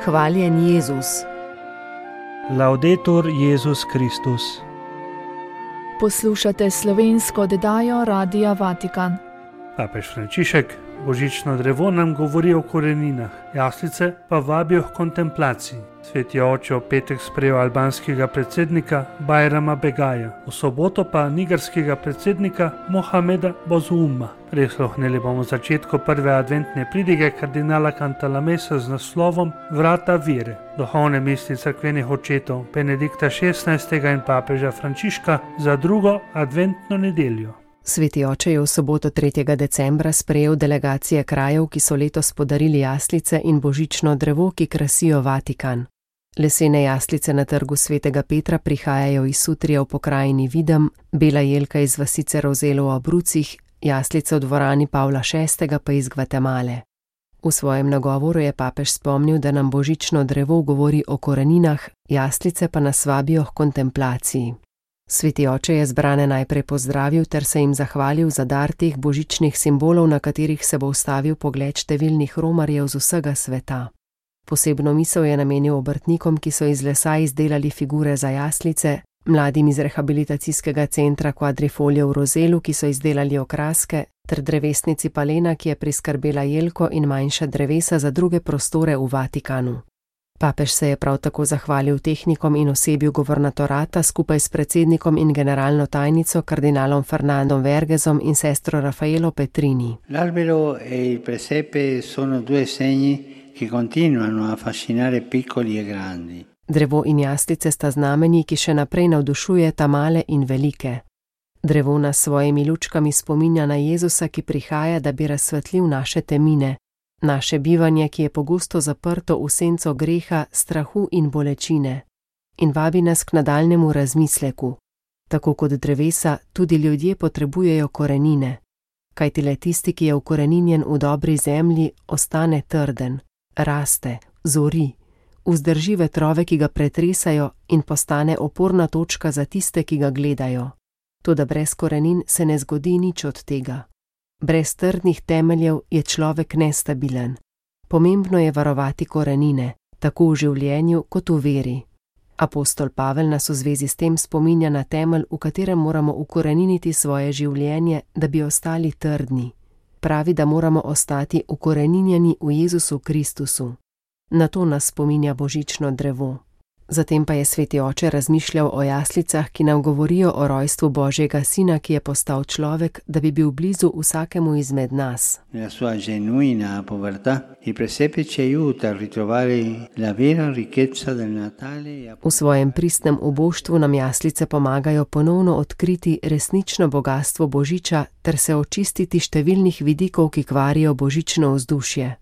Hvaljen Jezus. Laudetur Jezus Kristus. Poslušate slovensko oddajo Radia Vatikan. Papež Frančišek božično drevo nam govori o koreninah, jaslice pa vabijo k kontemplaciji. Sveti oče v petek sprejel albanskega predsednika Bajrama Begaja, v soboto pa nigerskega predsednika Mohameda Bozuma. Prisluhnili bomo začetku prve adventne pridige kardinala Cantalamessa z naslovom Vrata vere, duhovne misli cerkvenih očetov Benedikta XVI. In papeža Frančiška za drugo adventno nedeljo. Sveti oče je v soboto 3. decembra sprejel delegacije krajev, ki so letos podarili jaslice in božično drevo, ki krasijo Vatikan. Lesene jaslice na trgu svetega Petra prihajajo iz Sutrija v pokrajini Videm, bela jelka iz vasice Rozelo v Abrucih, jaslice v dvorani Pavla VI. Pa iz Gvatemale. V svojem nagovoru je papež spomnil, da nam božično drevo govori o koreninah, jaslice pa nas vabijo k kontemplaciji. Sveti oče je zbrane najprej pozdravil ter se jim zahvalil za dar teh božičnih simbolov, na katerih se bo ustavil pogled številnih romarjev z vsega sveta. Posebno misel je namenil obrtnikom, ki so iz lesa izdelali figure za jaslice, mladim iz rehabilitacijskega centra Quadrifoglio v Rozelu, ki so izdelali okraske, ter drevesnici Palena, ki je priskrbela jelko in manjša drevesa za druge prostore v Vatikanu. Papež se je prav tako zahvalil tehnikom in osebju governatorata skupaj s predsednikom in generalno tajnico kardinalom Fernandom Vergesom in sestro Raffaello Petrini. L'albero e il presepe sono due segni che continuano a affascinare piccoli e grandi. Drevo in jaslice sta znamenji, ki še naprej navdušujeta male in velike. Drevo nas s svojimi lučkami spominja na Jezusa, ki prihaja, da bi razsvetlil naše temine, naše bivanje, ki je pogosto zaprto v senco greha, strahu in bolečine, in vabi nas k nadaljnemu razmisleku. Tako kot drevesa, tudi ljudje potrebujejo korenine, kajti le tisti, ki je ukoreninjen v dobri zemlji, ostane trden, raste, zori, vzdrži vetrove, ki ga pretresajo, in postane oporna točka za tiste, ki ga gledajo. Toda brez korenin se ne zgodi nič od tega. Brez trdnih temeljev je človek nestabilen. Pomembno je varovati korenine, tako v življenju kot v veri. Apostol Pavel nas v zvezi s tem spominja na temelj, v katerem moramo ukoreniniti svoje življenje, da bi ostali trdni. Pravi, da moramo ostati ukoreninjeni v Jezusu Kristusu. Na to nas spominja božično drevo. Zatem pa je sveti oče razmišljal o jaslicah, ki nam govorijo o rojstvu Božjega Sina, ki je postal človek, da bi bil blizu vsakemu izmed nas. Nella sua genuina povertà, il presepe ci aiuta a ritrovare la vera ricchezza del Natale. V svojem pristnem uboštvu nam jaslice pomagajo ponovno odkriti resnično bogastvo Božiča ter se očistiti številnih vidikov, ki kvarijo božično vzdušje.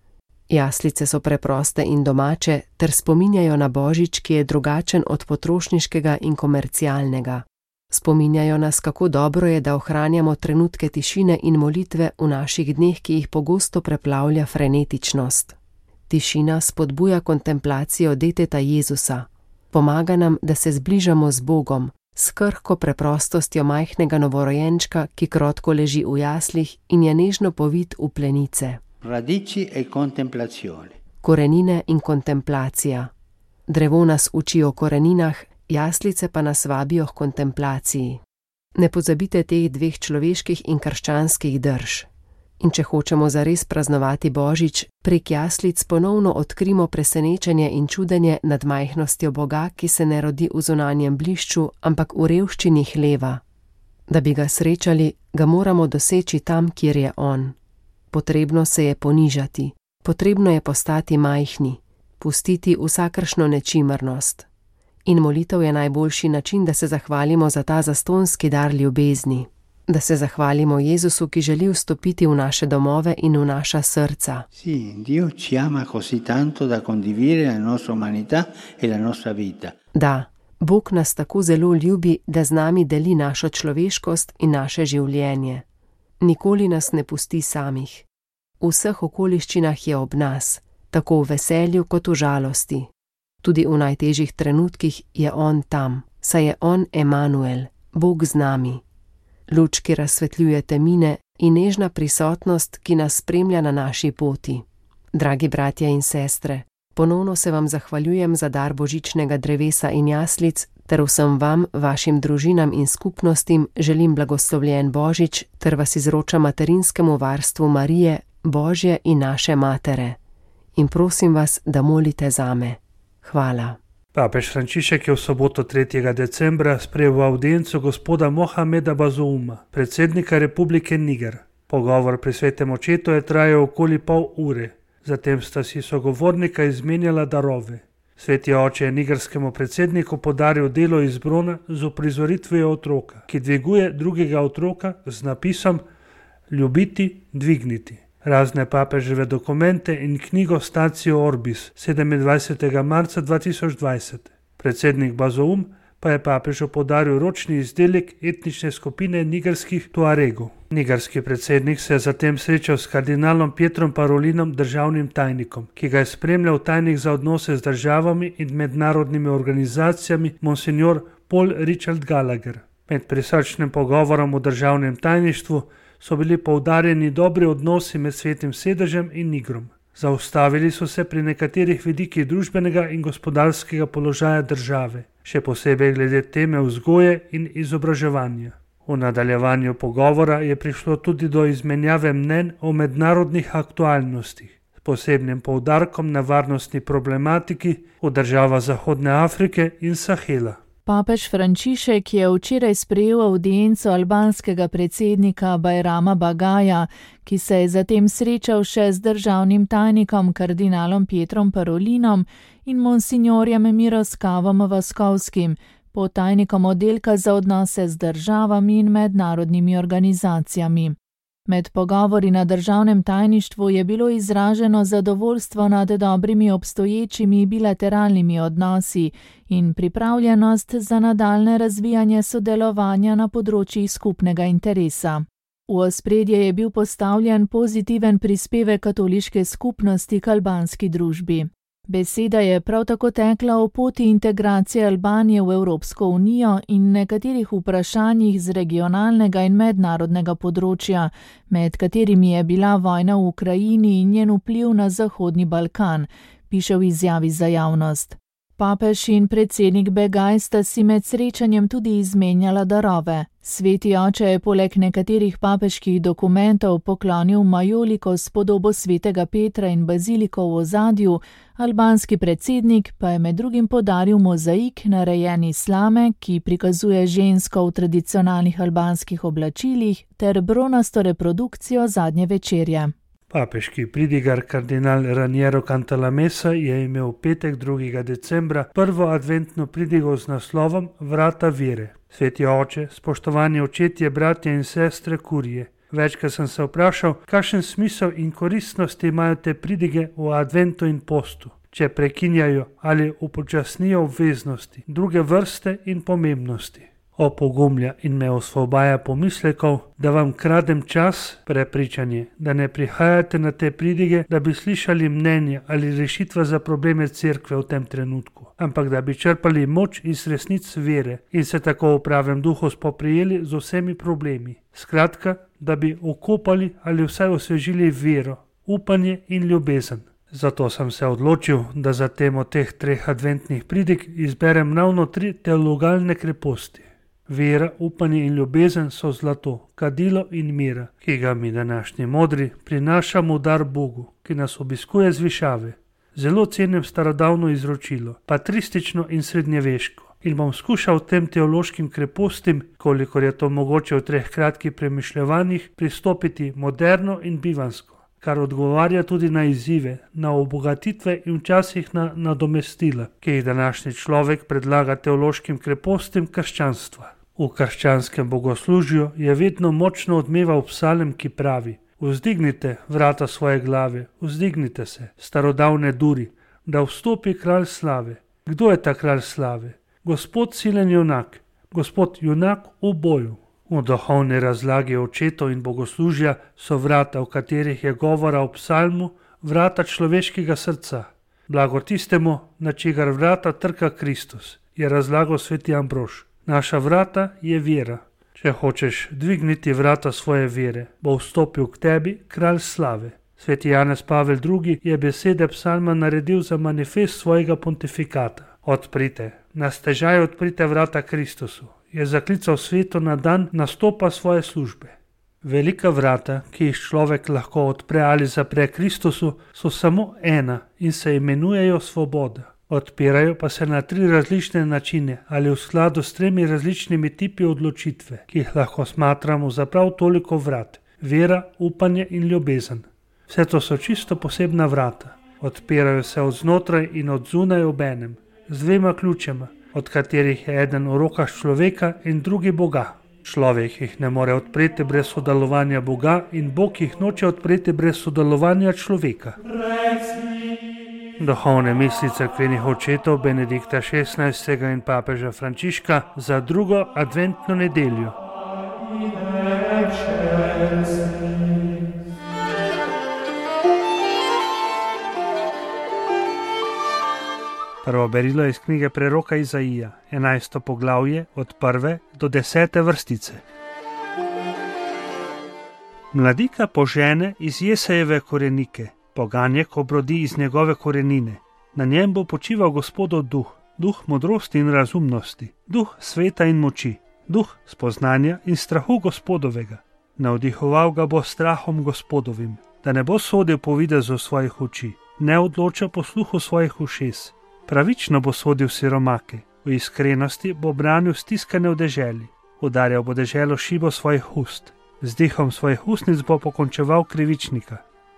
Jaslice so preproste in domače ter spominjajo na Božič, ki je drugačen od potrošniškega in komercialnega. Spominjajo nas, kako dobro je, da ohranjamo trenutke tišine in molitve v naših dneh, ki jih pogosto preplavlja frenetičnost. Tišina spodbuja kontemplacijo deteta Jezusa. Pomaga nam, da se zbližamo z Bogom, s krhko preprostostjo majhnega novorojenčka, ki krotko leži v jaslih in je nežno povit v plenice. Radici e contemplazione. Korenine in kontemplacija. Drevo nas uči o koreninah, jaslice pa nas vabijo k kontemplaciji. Ne pozabite teh dveh človeških in krščanskih drž. In če hočemo zares praznovati Božič, prek jaslic ponovno odkrimo presenečenje in čudenje nad majhnostjo Boga, ki se ne rodi v zunanjem blišču, ampak v revščini hleva. Da bi ga srečali, ga moramo doseči tam, kjer je on. Potrebno se je ponižati, potrebno je postati majhni, pustiti vsakršno nečimrnost. In molitev je najboljši način, da se zahvalimo za ta zastonski dar ljubezni, da se zahvalimo Jezusu, ki želi vstopiti v naše domove in v naša srca. Sì, Dio ci ama così tanto da condividere la nostra umanità e la nostra vita. Da, Bog nas tako zelo ljubi, da z nami deli našo človeškost in naše življenje. Nikoli nas ne pusti samih. V vseh okoliščinah je ob nas, tako v veselju kot v žalosti. Tudi v najtežjih trenutkih je on tam, saj je on Emanuel, Bog z nami. Luč, ki razsvetljuje temine, in nežna prisotnost, ki nas spremlja na naši poti. Dragi bratje in sestre, Ponovno se vam zahvaljujem za dar božičnega drevesa in jaslic, ter vsem vam, vašim družinam in skupnostim želim blagoslovljen Božič, ter vas izročam materinskemu varstvu Marije, Božje in naše matere. In prosim vas, da molite zame. Hvala. Papež Frančišek je v soboto 3. decembra sprejel v avdienco gospoda Mohameda Bazouma, predsednika Republike Niger. Pogovor pri svetem očetu je trajal okoli pol ure. Zatem sta si sogovornika izmenjala darove. Sveti oče je nigerskemu predsedniku podaril delo iz brona z uprizoritvijo otroka, ki dviguje drugega otroka z napisom Ljubiti, dvigniti. Razne papeževe dokumente in knjigo Statio Orbis 27. marca 2020. Predsednik Bazoum pa je papežu podaril ročni izdelek etnične skupine nigerskih Tuaregov. Nigerski predsednik se je zatem srečal s kardinalom Pietrom Parolinom, državnim tajnikom, ki ga je spremljal tajnik za odnose z državami in mednarodnimi organizacijami monsignor Paul Richard Gallagher. Med prisrčnim pogovorom v državnem tajništvu so bili poudarjeni dobri odnosi med Svetim sedežem in Nigrom. Zaustavili so se pri nekaterih vidikih družbenega in gospodarskega položaja države, še posebej glede teme vzgoje in izobraževanja. V nadaljevanju pogovora je prišlo tudi do izmenjave mnenj o mednarodnih aktualnostih, s posebnim poudarkom na varnostni problematiki v državah Zahodne Afrike in Sahela. Papež Frančišek je včeraj sprejel avdienco albanskega predsednika Bajrama Bagaja, ki se je zatem srečal še z državnim tajnikom kardinalom Pietrom Parolinom in monsignorjem Miroslavom Vaskovskim, podtajnikom oddelka za odnose z državami in mednarodnimi organizacijami. Med pogovori na državnem tajništvu je bilo izraženo zadovoljstvo nad dobrimi obstoječimi bilateralnimi odnosi in pripravljenost za nadaljne razvijanje sodelovanja na področjih skupnega interesa. V ospredje je bil postavljen pozitiven prispevek katoliške skupnosti k albanski družbi. Beseda je prav tako tekla o poti integracije Albanije v Evropsko unijo in nekaterih vprašanjih z regionalnega in mednarodnega področja, med katerimi je bila vojna v Ukrajini in njen vpliv na Zahodni Balkan, piše v izjavi za javnost. Papež in predsednik Begaj sta si med srečanjem tudi izmenjala darove. Sveti oče je poleg nekaterih papeških dokumentov poklonil majoliko s podobo svetega Petra in baziliko v ozadju, albanski predsednik pa je med drugim podaril mozaik narejen iz slame, ki prikazuje žensko v tradicionalnih albanskih oblačilih, ter bronasto reprodukcijo zadnje večerje. Papeški pridigar kardinal Raniero Cantalamessa je imel v petek 2. decembra prvo adventno pridigo z naslovom Vrata vere. Sveti oče, spoštovani očetje, bratje in sestre kurije, večkrat sem se vprašal, kakšen smisel in koristnost imajo te pridige v adventu in postu, če prekinjajo ali upočasnijo obveznosti, druge vrste in pomembnosti. Opogumlja in me osvobaja pomislekov, da vam kradem čas, prepričanje, da ne prihajate na te pridige, da bi slišali mnenja ali rešitve za probleme cerkve v tem trenutku, ampak da bi črpali moč iz resnic vere in se tako v pravem duhu spoprijeli z vsemi problemi. Skratka, da bi okopali ali vsaj osvežili vero, upanje in ljubezen. Zato sem se odločil, da za temo teh 3 adventnih pridig izberem ravno 3 teologalne kreposti. Vera, upanje in ljubezen so zlato, kadilo in mira, ki ga mi današnji modri prinašamo v dar Bogu, ki nas obiskuje z višave. Zelo cenim starodavno izročilo, patristično in srednjeveško, in bom skušal tem teološkim krepostim, kolikor je to mogoče v 3 kratkih premišljevanjih, pristopiti moderno in bivansko, kar odgovarja tudi na izzive, na obogatitve in včasih na nadomestila, ki jih današnji človek predlaga teološkim krepostim krščanstva. V krščanskem bogoslužju je vedno močno odmeval psalm, ki pravi: Vzdignite vrata svoje glave, vzdignite se, starodavne duri, da vstopi kralj slave. Kdo je ta kralj slave? Gospod silen junak, Gospod junak v boju. V duhovni razlagi očetov in bogoslužja so vrata, v katerih je govora o psalmu, vrata človeškega srca. Blagor tistemu, na čigar vrata trka Kristus, je razlagal sveti Ambrož. Naša vrata je vera. Če hočeš dvigniti vrata svoje vere, bo vstopil k tebi kralj slave. Sveti Janez Pavel II. Je besede psalma naredil za manifest svojega pontifikata. Odprite, na stežaj odprite vrata Kristusu, je zaklical svetu na dan nastopa svoje službe. Velika vrata, ki jih človek lahko odpre ali zapre Kristusu, so samo ena in se imenujejo svoboda. Odpirajo pa se na 3 različne načine ali v skladu s 3 različnimi tipi odločitve, ki jih lahko smatramo za prav toliko vrat: vera, upanje in ljubezen. Vse to so čisto posebna vrata. Odpirajo se od znotraj in od zunaj obenem, z 2 ključema, od katerih je eden v rokah človeka in drugi Boga. Človek jih ne more odpreti brez sodelovanja Boga in Bog jih noče odpreti brez sodelovanja človeka. Duhovne misli cerkvenih očetov Benedikta XVI. In papeža Frančiška za 2. adventno nedeljo. Prvo berilo je iz knjige preroka Izaija, 11. poglavje od 1. do 10. vrstice. Mladika požene iz Jesejeve korenike, poganjek obrodi iz njegove korenine. Na njem bo počival Gospodov duh, duh modrosti in razumnosti, duh sveta in moči, duh spoznanja in strahu Gospodovega. Navdihoval ga bo strahom Gospodovim, da ne bo sodil po videzu svojih oči, ne odloča po sluhu svojih ušes. Pravično bo sodil siromake, v iskrenosti bo branil stiskane v deželi, udarjal bo deželo šibo svojih ust, z dihom svojih ustnic bo pokončeval krivičnika.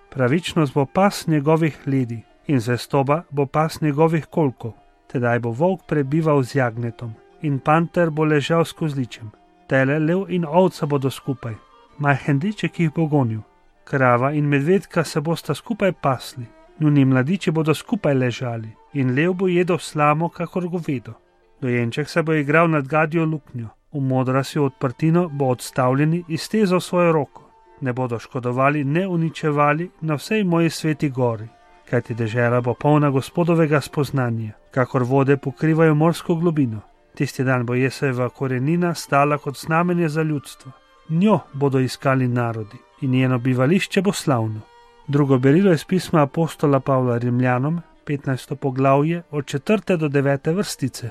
Pravičnost bo pas njegovih ledi in zvestoba bo pas njegovih kolkov. Tedaj bo volk prebival z jagnetom in panter bo ležal s kozličem. Tele, lev in ovca bodo skupaj, majhen deček jih bo gonil. Krava in medvedka se bosta skupaj pasli, njuni mladiči bodo skupaj ležali in lev bo jedel slamo kakor govedo. Dojenček se bo igral nad gadjo luknjo, v modrasjo odprtino bo odstavljeni iztezal svojo roko. Ne bodo škodovali, ne uničevali na vsej moji sveti gori, kajti dežela bo polna Gospodovega spoznanja, kakor vode pokrivajo morsko globino. Tisti dan bo Jesejeva korenina stala kot znamenje za ljudstvo. Njo bodo iskali narodi in njeno bivališče bo slavno. Drugo berilo je iz pisma apostola Pavla Rimljanom, 15. poglavje od 4. do 9. vrstice.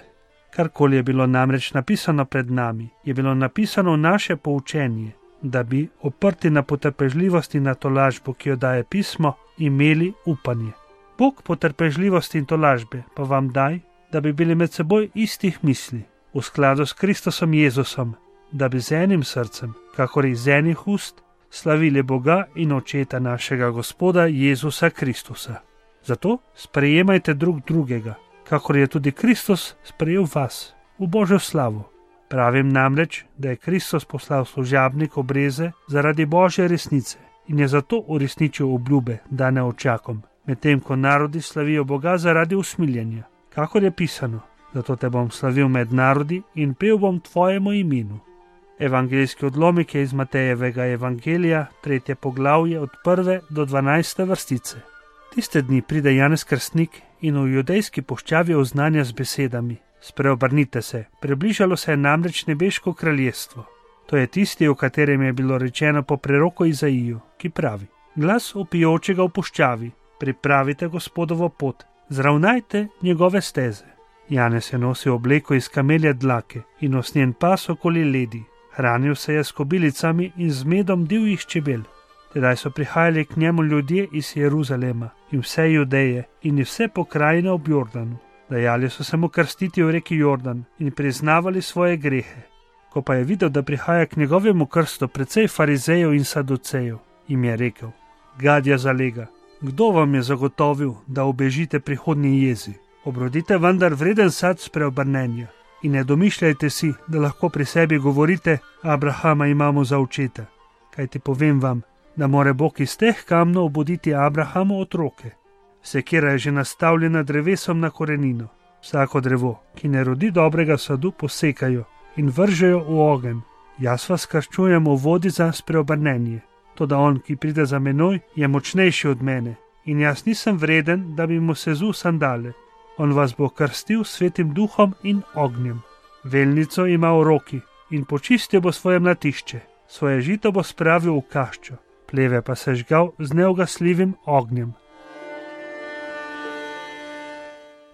Karkoli je bilo namreč napisano pred nami, je bilo napisano v naše poučenje, da bi, oprti na potrpežljivost in na tolažbo, ki jo daje pismo, imeli upanje. Bog potrpežljivosti in tolažbe pa vam daj, da bi bili med seboj istih misli, v skladu s Kristusom Jezusom, da bi z enim srcem, kakor iz enih ust, slavili Boga in Očeta našega Gospoda Jezusa Kristusa. Zato sprejemajte drug drugega, kakor je tudi Kristus sprejel vas, v Božjo slavo. Pravim namreč, da je Kristus poslal služabnik obreze zaradi Božje resnice in je zato uresničil obljube, dane očakom, medtem ko narodi slavijo Boga zaradi usmiljenja. Kakor je pisano, zato te bom slavil med narodi in pel bom tvojemu imenu. Evangeljski odlomek je iz Matejevega evangelija, 3. poglavje od 1. do 12. vrstice. Tiste dni pride Janez Krstnik in v judejski puščavi oznanja z besedami: Spreobrnite se, približalo se je namreč nebeško kraljestvo. To je tisti, o katerem je bilo rečeno po preroku Izaiju, ki pravi: Glas vpijočega v puščavi, pripravite Gospodovo pot, zravnajte njegove steze. Janez je nosil obleko iz kamelje dlake in usnjen pas okoli ledi. Hranil se je s kobilicami in z medom divjih čebel. Tedaj so prihajali k njemu ljudje iz Jeruzalema in vse Judeje in vse pokrajine ob Jordanu. Dajali so se mu krstiti v reki Jordan in priznavali svoje grehe. Ko pa je videl, da prihaja k njegovemu krstu precej farizejev in saducejev, jim je rekel: Gadja zalega, kdo vam je zagotovil, da ubežite prihodnji jezi? Obrodite vendar vreden sad spreobrnenja in ne domišljajte si, da lahko pri sebi govorite: Abrahama imamo za očeta. Kajti povem vam, da more Bog iz teh kamnov obuditi Abrahamu otroke. Sekira je že nastavljena drevesom na korenino. Vsako drevo, ki ne rodi dobrega sadu, posekajo in vržejo v ogenj. Jaz vas krščujem v vodi za spreobrnenje. Toda on, ki pride za menoj, je močnejši od mene in jaz nisem vreden, da bi mu sezul sandale. On vas bo krstil svetim duhom in ognjem. Velnico ima v roki in počistil bo svoje mlatišče. Svoje žito bo spravil v kaščo. pleve pa sežgal z neugasljivim ognjem.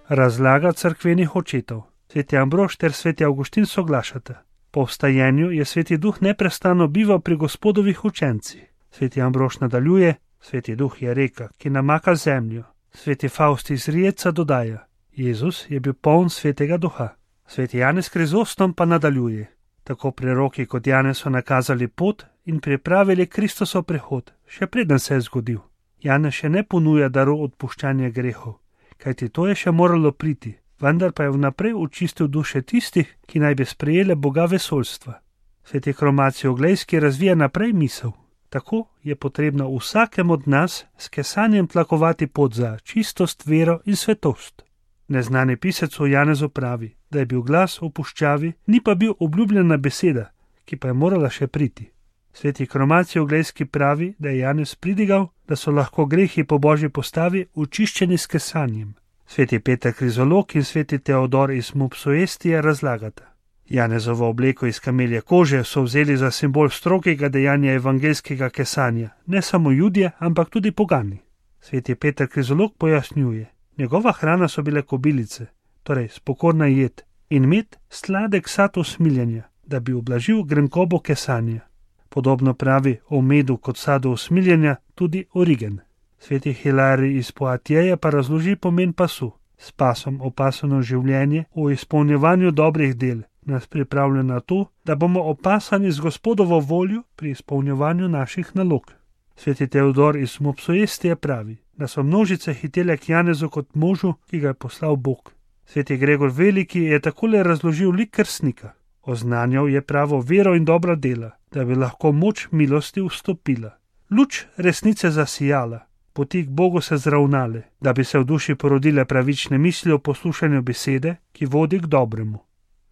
Razlaga cerkvenih očetov. Sveti Ambrož ter sveti Avguštin soglašata. Po vstajenju je sveti duh neprestano bival pri Gospodovih učencih. Sveti Ambrož nadaljuje: sveti duh je reka, ki namaka zemljo. Sveti Faust iz Rijeca dodaja: Jezus je bil poln svetega duha. Sveti Janez Krizostom pa nadaljuje: tako preroki kot Janez so nakazali pot in pripravili Kristosov prihod, še preden se je zgodil. Janez še ne ponuja darov odpuščanja grehov, kajti to je še moralo priti, vendar pa je vnaprej očistil duše tistih, ki naj bi sprejele Boga vesoljstva. Sveti Kromacij Oglejski razvija naprej misel. Tako je potrebno vsakem od nas s kesanjem tlakovati pot za čistost, vero in svetost. Neznani pisec o Janezu pravi, da je bil glas v puščavi, ni pa bil obljubljena beseda, ki pa je morala še priti. Sveti Kromacij Oglejski pravi, da je Janez pridigal, da so lahko grehi po božji postavi očiščeni s kesanjem. Sveti Peter Krizolog in sveti Teodor iz Mopsuestije razlagata: Janezovo obleko iz kamelje kože so vzeli za simbol strogega dejanja evangeljskega kesanja, ne samo Judje, ampak tudi pogani. Sveti Peter Krizolog pojasnjuje: njegova hrana so bile kobilice, torej spokorna jed, in med sladek sad usmiljenja, da bi ublažil grenkobo kesanja. Podobno pravi o medu kot sadu usmiljenja tudi Origen. Sveti Hilarij iz Poatjeja pa razloži pomen pasu. S pasom opasano življenje v izpolnjevanju dobrih del nas pripravlja na to, da bomo opasani z Gospodovo voljo pri izpolnjevanju naših nalog. Sveti Teodor iz Mopsuestije pravi, da so množice hitele k Janezu kot možu, ki ga je poslal Bog. Sveti Gregor Veliki je takole razložil lik krstnika. Oznanjal je pravo vero in dobra dela, da bi lahko moč milosti vstopila. Luč resnice zasijala, poti k Bogu se zravnale, da bi se v duši porodile pravične misli o poslušanju besede, ki vodi k dobremu.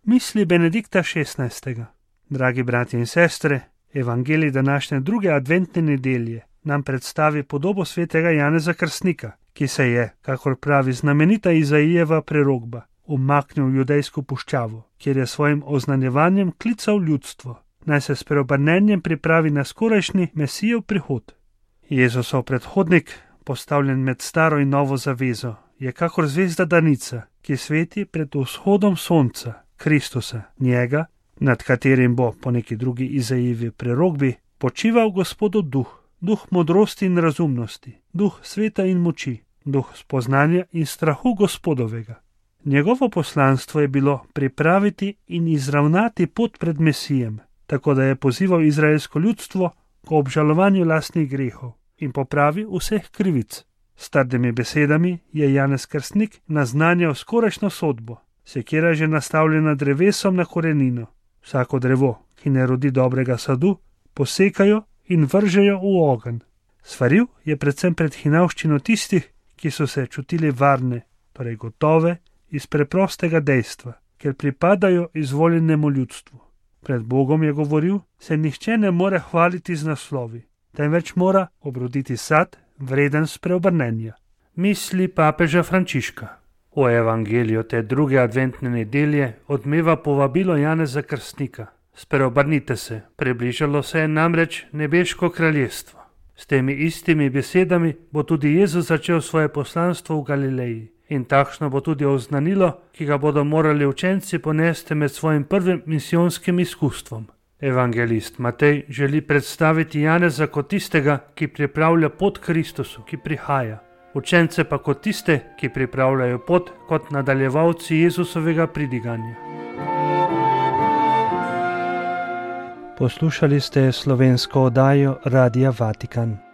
Misli Benedikta XVI. Dragi bratje in sestre, evangelij današnje druge adventne nedelje nam predstavi podobo svetega Janeza Krstnika, ki se je, kakor pravi znamenita Izaijeva prerokba, umaknil v judejsko puščavo, kjer je svojim oznanjevanjem klical ljudstvo, naj se s preobrnenjem pripravi na skorajšnji Mesijev prihod. Jezusov predhodnik, postavljen med staro in novo zavezo, je kakor zvezda danica, ki sveti pred vzhodom sonca, Kristusa, njega, nad katerim bo po neki drugi Izaijevi prerokbi počival Gospodov duh, duh modrosti in razumnosti, duh sveta in moči, duh spoznanja in strahu Gospodovega. Njegovo poslanstvo je bilo pripraviti in izravnati pot pred Mesijem, tako da je pozival izraelsko ljudstvo k obžalovanju lastnih grehov in popravi vseh krivic. S trdimi besedami je Janez Krstnik naznanjal skorajšnjo sodbo. Sekira je že nastavljena drevesom na korenino. Vsako drevo, ki ne rodi dobrega sadu, posekajo in vržejo v ogenj. Svaril je predvsem pred hinavščino tistih, ki so se čutili varne, torej gotove, iz preprostega dejstva, ker pripadajo izvoljenemu ljudstvu. Pred Bogom je govoril, se nihče ne more hvaliti z naslovi, temveč mora obroditi sad, vreden spreobrnenja. Misli papeža Frančiška. V evangeliju te druge adventne nedelje odmeva povabilo Janeza Krstnika. Spreobrnite se, približalo se je namreč nebeško kraljestvo. S temi istimi besedami bo tudi Jezus začel svoje poslanstvo v Galileji. In takšno bo tudi oznanilo, ki ga bodo morali učenci ponesti med svojim prvim misijonskim izkustvom. Evangelist Matej želi predstaviti Janeza kot tistega, ki pripravlja pot Kristusu, ki prihaja. Učence pa kot tiste, ki pripravljajo pot kot nadaljevalci Jezusovega pridiganja. Poslušali ste slovensko oddajo Radia Vatikan.